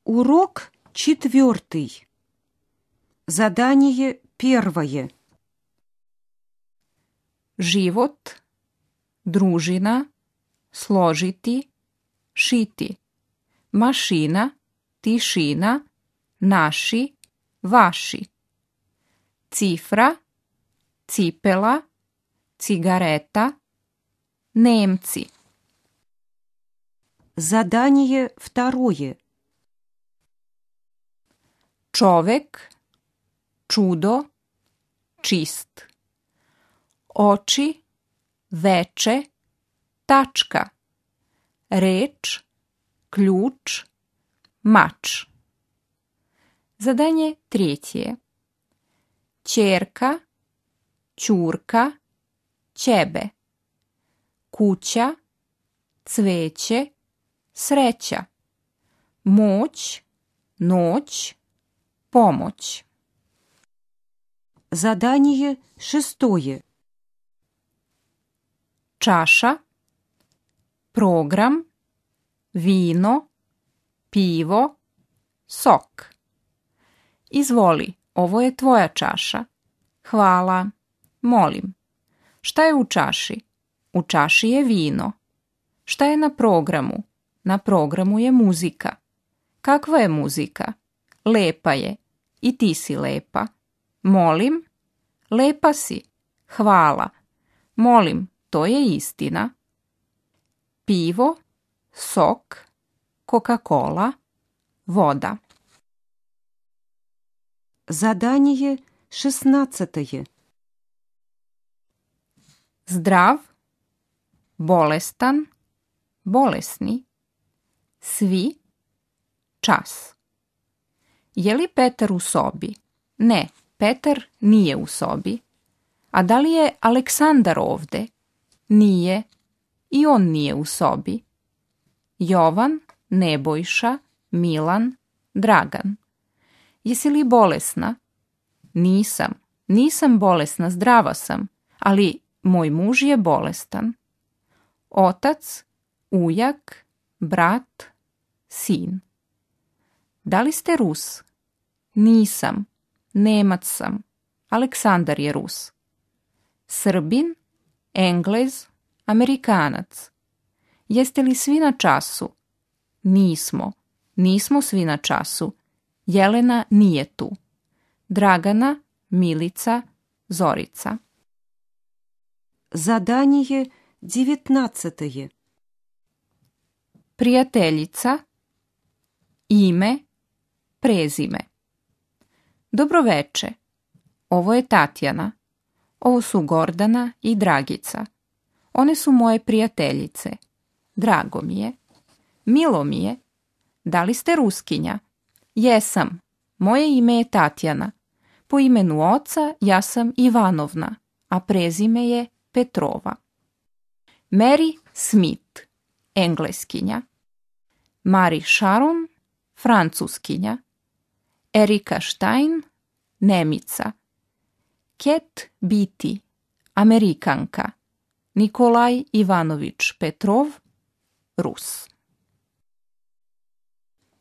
Урок 4. Задание 1. Život, družina, složiti, šiti. Mašina, tišina, naši, vaši. Cifra, cipela, cigareta, Nemci. Задание 2. Čovek, čudo, čist. Oči, veče, tačka. Reč, ključ, mač. Zadanje 3. Ćerka, ćurka, ćebe. Kuća, cveće, sreća. Moć, noć, pomoć. Задание 6. Čaša, program, vino, pivo, sok. Izvoli, ovo je tvoja čaša. Hvala, molim. Šta je u čaši? U čaši je vino. Šta je na programu? Na programu je muzika. Kakva je muzika? Lepa je. I ti si lepa. Molim, lepa si. Hvala. Molim, to je istina. Pivo, sok, Coca-Cola, voda. Задание 16. Zdrav, bolestan, bolesni, svi, čas. Je li Petar u sobi? Ne, Petar nije u sobi. A da li je Aleksandar ovde? Nije. I on nije u sobi. Jovan, Nebojša, Milan, Dragan. Jesi li bolesna? Nisam. Nisam bolesna, zdrava sam. Ali moj muž je bolestan. Otac, ujak, brat, sin. Da li ste Rus? Nisam. Nemac sam. Aleksandar je Rus. Srbin, Englez, Amerikanac. Jeste li svi na času? Nismo. Nismo svi na času. Jelena nije tu. Dragana, Milica, Zorica. Задание 19. Prijateljica, ime, prezime. Dobroveče. Ovo je Tatjana. Ovo su Gordana i Dragica. One su moje prijateljice. Drago mi je. Milo mi je. Da li ste Ruskinja? Jesam. Moje ime je Tatjana. Po imenu oca ja sam Ivanovna, a prezime je Petrova. Mary Smith, Engleskinja. Mary Sharon, Francuskinja. Erika Stein, Nemica. Ket Biti, Amerikanka. Nikolaj Ivanović Petrov, Rus.